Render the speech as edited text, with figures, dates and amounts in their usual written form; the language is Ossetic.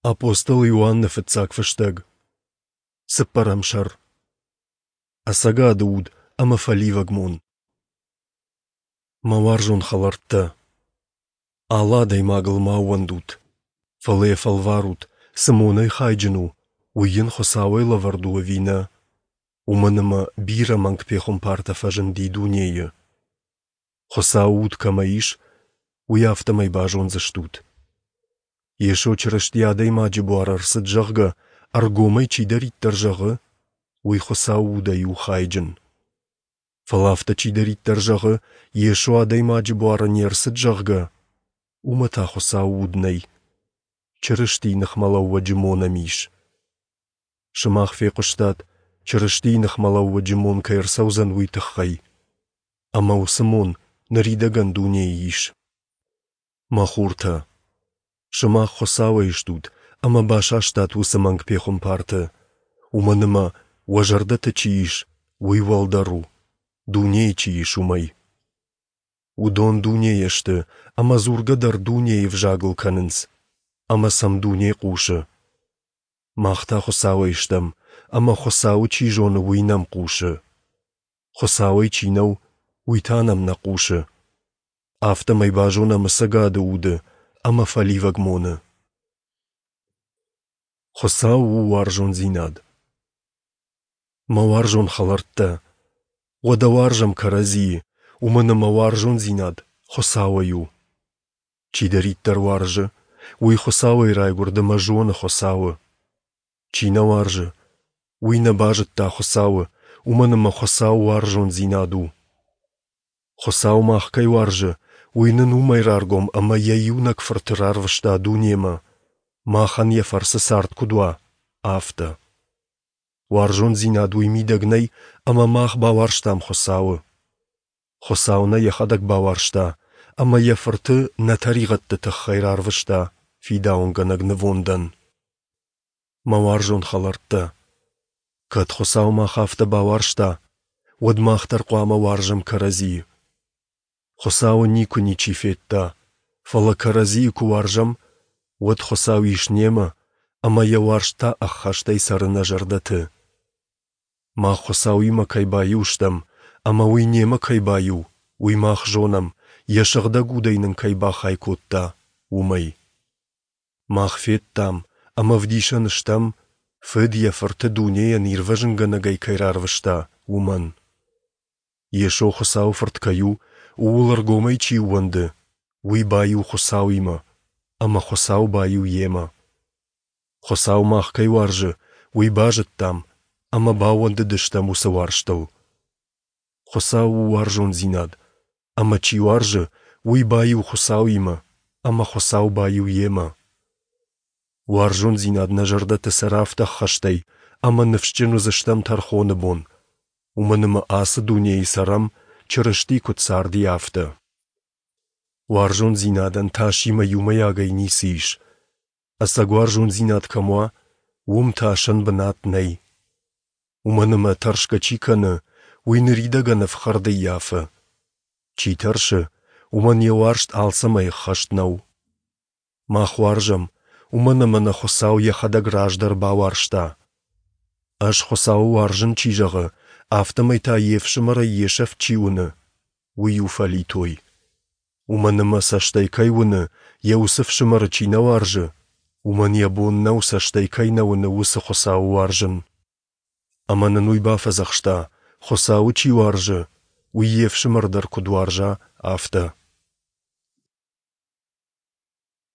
Апостол Иоанны фыццаг фыстӕг. Цыппӕрӕм сӕр. Ӕцӕгады уд ӕмӕ фӕливӕг мон. Мӕ уарзон хӕлӕрттӕ, алы адӕймагыл ма ӕууӕндут, фӕлӕ йӕ фӕлварут, цы монӕй хайджын у, уый йын Хуыцауӕй лӕвӕрд у ӕви нӕ, уымӕн ӕмӕ бирӕ мӕнг пехуымпартӕ фӕзынди дунейы. Хуыцауы уд кӕмӕ ис, уый афтӕмӕй базондзыстут. Йесо Чырысти адӕймаджы буары ӕрцыд, зӕгъгӕ, ӕргомӕй чидӕриддӕр зӕгъы, уый Хуыцауы удӕй у хайджын. Фӕлӕ афтӕ чидӕриддӕр зӕгъы, Йесо адӕймаджы буары не рцыд, зӕгъгӕ, уымӕ та Хуыцауы уд нӕй. Чырыстийы ныхмӕлӕууӕджы мон ӕм ис. Сымах фехъуыстат, Чырыстийы ныхмӕлӕууӕджы мон кӕй ӕрцӕудзӕн, уый тыххӕй. Ӕмӕ уыцы мон ныридӕгӕн дунейы ис. Мӕ хуртӕ, сымах Хуыцауӕй стут ӕмӕ басастат уыцы мӕнг пехуымпарты, уымӕн ӕмӕ, уӕ зӕрдӕты чи ис, уый уӕлдӕр у, дунейы чи ис, уымӕй. Уыдон дунейӕ сты ӕмӕ дзургӕ дӕр дунейы ӕвзагыл кӕнынц, ӕмӕ сӕм дуне хъусы. Мах та Хуыцауӕй стӕм, ӕмӕ Хуыцауы чи зоны, уый нӕм хъусы. Хуыцауӕй чи нӕу, уый та нӕм нӕ хъусы. Афтӕмӕй базонӕм ӕцӕгады уды ӕмӕ фӕливӕг моны. Хуыцау у уарзондзинад. Мӕ уарзон хӕлӕрттӕ, уӕдӕ уарзӕм кӕрӕдзийы, уымӕн ӕмӕ уарзондзинад Хуыцауӕй у. Чидӕриддӕр уарзы, уый Хуыцауӕй райгуырд ӕмӕ зоны Хуыцауы. Чи нӕ уарзы, уый нӕ базыдта Хуыцауы, уымӕн ӕмӕ Хуыцау уарзондзинад у. Хуыцау мах кӕй уарзы, уый нын уымӕй раргом ӕмӕ йӕ иунӕг Фырты рарвыста дунемӕ, махӕн йӕ фӕрцы цард куыд уа, афтӕ. Уарзондзинад уый мидӕг нӕй, ӕмӕ мах бауарзтам Хуыцауы. Хуыцау нӕ йӕхӕдӕг бауарзта ӕмӕ йӕ Фырты нӕ тӕригъӕдты тыххӕй рарвыста фидауынгӕнӕг нывондӕн. Мӕ уарзон хӕлӕрттӕ, кӕд Хуыцау мах афтӕ бауарзта, уӕд мах дӕр хъуамӕ уарзӕм кӕрӕдзийы. Хуыцауы никуы ничи федта, фӕлӕ кӕрӕдзийы куы уарзӕм, уӕд Хуыцау ис немӕ, ӕмӕ йӕ уарзт та ӕххӕстӕй цӕры нӕ зӕрдӕты. Мах Хуыцауимӕ кӕй баиу стӕм, ӕмӕ уый немӕ кӕй баиу, уый мах зонӕм, йӕ Сыгъдӕг Удӕй нын кӕй бахай кодта, уымӕй. Мах федтам ӕмӕ ӕвдисӕн стӕм, Фыд йӕ Фырты дунейӕн ирвӕзынгӕнӕгӕй кӕй рарвыста, уымӕн. Йесо Хуыцауы Фырт кӕй у, ууыл ӕргомӕй чи ууӕнды, уый баиу Хуыцауимӕ, ӕмӕ Хуыцау баиу йемӕ. Хуыцау мах кӕй уарзы, уый базыдтам ӕмӕ баууӕндыдыстӕм уыцы уарзтыл. Хуыцау у уарзондзинад, ӕмӕ чи уарзы, уый баиу Хуыцауимӕ, ӕмӕ Хуыцау баиу йемӕ. Уарзондзинад нӕ зӕрдӕты цӕра афтӕ ӕххӕстӕй, ӕмӕ ныфсджын уыдзыстӕм тӕрхоны бон, уымӕн ӕмӕ ацы дунейы цӕрӕм, Чырысти куыд царди, афтӕ. Уарзондзинадӕн тасимӕ иумӕйагӕй ницы ис. Ӕцӕг уарзондзинад кӕм уа, уым тасӕн бынат нӕй. Уымӕн ӕмӕ тӕрсгӕ чи кӕны, уый ныридӕгӕн ӕфхӕрд ӕййафы. Чи тӕрсы, уымӕн йӕ уарзт алцӕмӕй ӕххӕст нӕу. Мах уарзӕм, уымӕн ӕмӕ нӕ Хуыцау йӕхӕдӕг раздӕр бауарзта. Ӕз Хуыцауы уарзын чи зӕгъы, афтӕмӕй та йе фсымӕрӕй йе сӕфт чи уыны, уый у фӕлитой. Уымӕн ӕмӕ цӕстӕй кӕй уыны, йӕ уыцы фсымӕры чи нӕ уарзы, уымӕн йӕ бон нӕу цӕстӕй кӕй нӕ уыны, уыцы Хуыцауы уарзын. Ӕмӕ нын уый бафӕдзӕхста, Хуыцауы чи уарзы, уый йе фсымӕр дӕр куыд уарза, афтӕ.